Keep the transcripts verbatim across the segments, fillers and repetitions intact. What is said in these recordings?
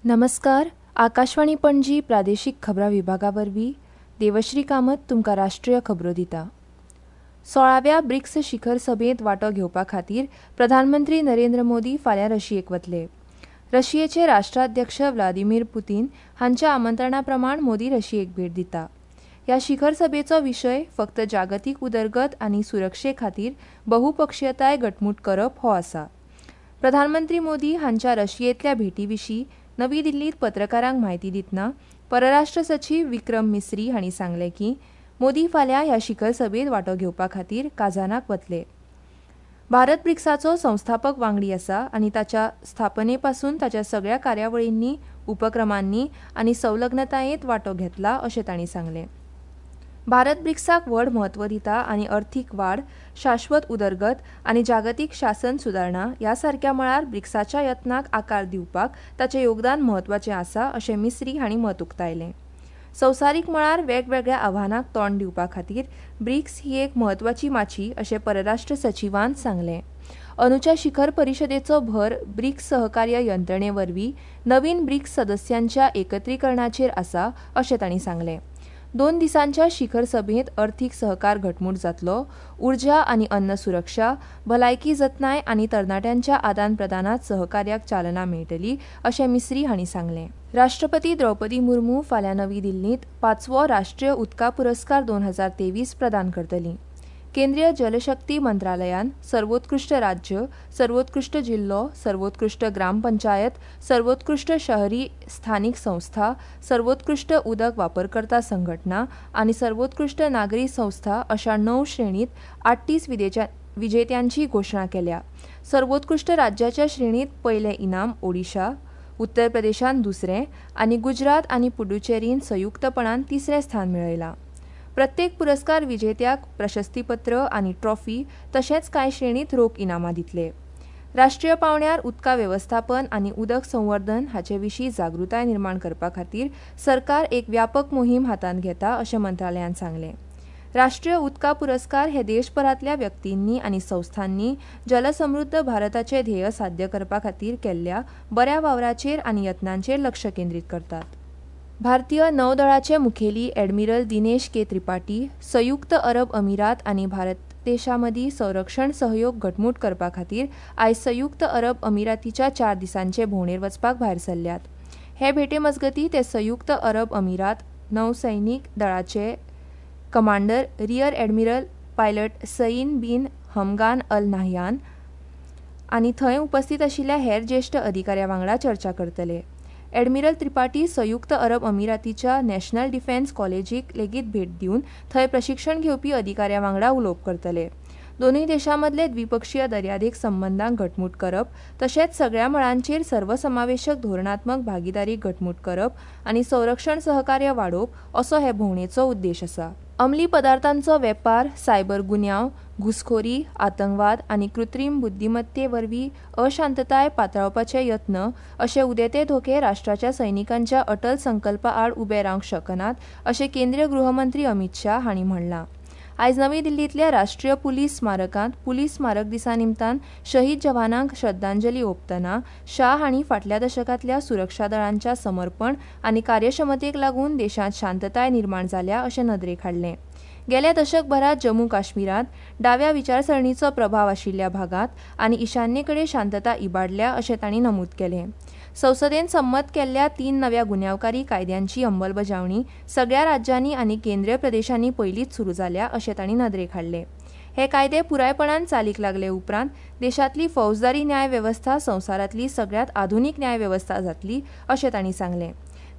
नमस्कार, आकाशवाणी पणजी प्रादेशीक खबरां विभागा वरवीं देवश्री कामत तुमकां राष्ट्रीय खबरो दिता. सोळाव्या ब्रिक्स शिखर सभेंत वांटो घेवपा खातीर प्रधानमंत्री नरेंद्र मोदी फाल्यां रशियेक वतले. रशियेचे राष्ट्राध्यक्ष व्लादिमीर पुतीन हांच्या आमंत्रणा प्रमाण मोदी रशियेक भेट दिता. ह्या शिखर सभेचो विशय फक्त जागतीक उदरगत आनी सुरक्षे खातीर बहुपक्षीयताय घटमूट करप हो आसा. प्रधानमंत्री मोदी हांच्या रशियेंतल्या भेटी विशीं नवी दिल्लींत पत्रकारांक म्हायती दितना परराष्ट्र सचीव विक्रम मिसरी हांणी सांगलें की मोदी फाल्यां ह्या शिखर सभेंत वांटो घेवपा खातीर काझानाक वतले. भारत ब्रिक्साचो संस्थापक वांगडी आसा आनी ताच्या स्थापने पासून ताच्या सगळ्या कार्यावळींनी, उपक्रमांनी आनी संलग्नतायेंत वांटो घेतला अशें तांणी सांगलें. भारत ब्रिक्साक व्हड म्हत्व दिता आनी अर्थीक वाड, शाश्वत उदरगत आनी जागतीक शासन सुदारणा ह्या सारक्या मळार ब्रिक्साच्या यत्नाक आकार दिवपाक ताचें योगदान म्हत्वाचें आसा अशें मिसरी हांणी मत उक्तायलें. संवसारीक मळार वेगवेगळ्या आव्हानांक तोंड दिवपा खातीर ब्रिक्स ही एक म्हत्वाची माची अशें परराष्ट्र सचिवान सांगलें. अंदूच्या शिखर परिशदेचो भर ब्रिक्स सहकार्य यंत्रणे वरवीं नवीन ब्रिक्स सदस्यांच्या एकत्रीकरणाचेर आसा अशें तांणी सांगलें. दोन दिसांच्या शिखर सभेंत अर्थीक सहकार घटमूट जातलो, उर्जा आनी अन्न सुरक्षा, भलायकी जतनाय आनी तरणाट्यांच्या आदान प्रदानांत सहकार्याक चालना मेळटली अशें मिसरी हांणी सांगलें. राष्ट्रपती द्रौपदी मुर्मू फाल्यां नवी दिल्लींत पांचवो राष्ट्रीय उदका पुरस्कार दोन हजार तेवीस प्रदान करतली. केंद्रीय जलशक्ती मंत्रालयान सर्वोत्कृश्ट राज्य, सर्वोत्कृश्ट जिल्लो, सर्वोत्कृश्ट ग्रामपंचायत, सर्वोत्कृश्ट शहरी स्थानीक संस्था, सर्वोत्कृश्ट उदक वापरकर्ता संघटना आनी सर्वोत्कृश्ट नागरी संस्था अशा णव श्रेणीत आठतीस विजेत्यांची घोशणा केल्या. सर्वोत्कृश्ट राज्याच्या श्रेणीत पयलें इनाम ओडिशा, उत्तर प्रदेशान दुसरें आनी गुजरात आनी पुडुचेरीन संयुक्तपणान तिसरें स्थान मेळयलां. प्रत्येक पुरस्कार विजेत्याक प्रशस्तीपत्र आनी ट्रॉफी तशेंच कांय श्रेणीत रोख इनामां दितले. राष्ट्रीय पांवड्यार उदका वेवस्थापन आनी उदक संवर्धन हाचे विशीं जागृताय निर्माण करपा खातीर सरकार एक व्यापक मोहीम हातांत घेता अशें मंत्रालयान सांगलें. राष्ट्रीय उदका पुरस्कार हे देशभरांतल्या व्यक्तींनी आनी संस्थांनी जलसमृद्ध भारताचें ध्येय साध्य करपा खातीर केल्ल्या बऱ्या वावराचेर आनी यत्नांचेर लक्ष केंद्रीत करतात. भारतीय नौदळाचे मुखेली ॲडमिरल दिनेश के त्रिपाठी संयुक्त अरब अमिरात आनी भारत देशा मदीं संरक्षण सहयोग घटमूट करपा खातीर आयज संयुक्त अरब अमिरातीच्या चार दिसांचे भोंवडेर वचपाक भायर सरल्यात. हे भेटे मजगतीं ते संयुक्त अरब अमिरात नौसैनीक दळाचे commander rear admiral pilot Saif bin Hamdan Al Nahyan आनी थंय उपस्थित आशिल्ल्या हेर ज्येश्ठ अधिकाऱ्यां वांगडा चर्चा करतले. ॲडमिरल त्रिपाठी संयुक्त अरब अमिरातीच्या नॅशनल डिफेन्स कॉलेजीक लेगीत भेट दिवन थंय प्रशिक्षण घेवपी अधिकाऱ्यां वांगडा उलोवप करतले. दोनूय देशां मदले द्विपक्षीय दर्यादेग संबंदांक घटमूट करप तशेंच सगळ्या मळांचेर सर्वसमावेशक धोरणात्मक भागिदारी घटमूट करप आनी संरक्षण सहकार्य वाडोवप असो हे भोंवडेचो उद्देश आसा. अंमली पदार्थांचो वेपार, सायबर गुन्यांव, घुसखोरी, आतंकवाद आनी कृत्रीम बुद्धिमत्ते वरवीं अशांतताय पातळावपाचे यत्न अशे उदेते धोके राष्ट्राच्या सैनिकांच्या अटल संकल्पा आड उबे रावंक शकनात अशें केंद्रीय गृहमंत्री अमित शाह हांणी म्हणलां. आयज नवी दिल्लींतल्या राष्ट्रीय पुलीस स्मारकांत पुलीस स्मारक दिसा निमतान शहीद जवानांक श्रद्धांजली ओंपतना शाह हांणी फाटल्या दशकांतल्या सुरक्षा दळांच्या समर्पण आनी कार्यक्षमतेक लागून देशांत शांतताय निर्माण जाल्या अशें नदरेक हाडलें. गेल्या दशकभरात जम्मू काश्मीरांत डाव्या विचारसरणीचो प्रभाव आशिल्ल्या भागांत आनी ईशान्येकडेन शांतता इबाडल्या अशें तांणी नमूद केलें. संसदेन संमत केल्ल्या तीन नव्या गुन्यांवकारी कायद्यांची अंमलबजावणी सगळ्या राज्यांनी आनी केंद्रीय प्रदेशांनी पयलींच सुरू जाल्या अशें तांणी नदरेक हाडलें. हे कायदे पुरायपणान चालीक लागले उपरांत देशांतली फौजदारी न्याय वेवस्था संवसारांतली सगळ्यांत आधुनीक न्याय वेवस्था जातली अशें तांणी सांगलें.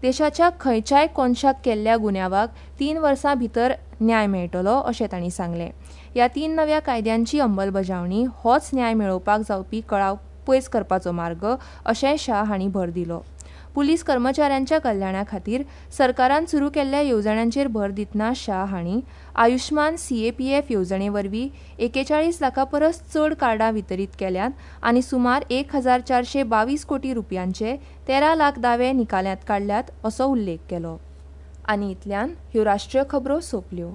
देशाच्या खंयच्याय कोनशाक केल्ल्या गुन्यांवाक तीन वर्सां भितर न्याय मेळटलो अशें तांणी सांगलें. ह्या तीन नव्या कायद्यांची अंमलबजावणी होच न्याय मेळोवपाक जावपी कळाव पयस करपाचो मार्ग अशेंय शाह हांणी भर दिलो. पुलीस कर्मचाऱ्यांच्या कल्याणा खातीर सरकारान सुरू केल्ल्या येवजण्यांचेर भर दितना शाह हांणी आयुष्मान सीएपीएफ येवजणे वरवीं एकेचाळीस लाखां परस चड कार्डां वितरीत केल्यांत आनी सुमार एक हजार चारशे बावीस कोटी रुपयांचे तेरा लाख दावे निकालांत काडल्यात असो उल्लेख केलो. आनी इतल्यान ह्यो राष्ट्रीय खबरो सोंपल्यो.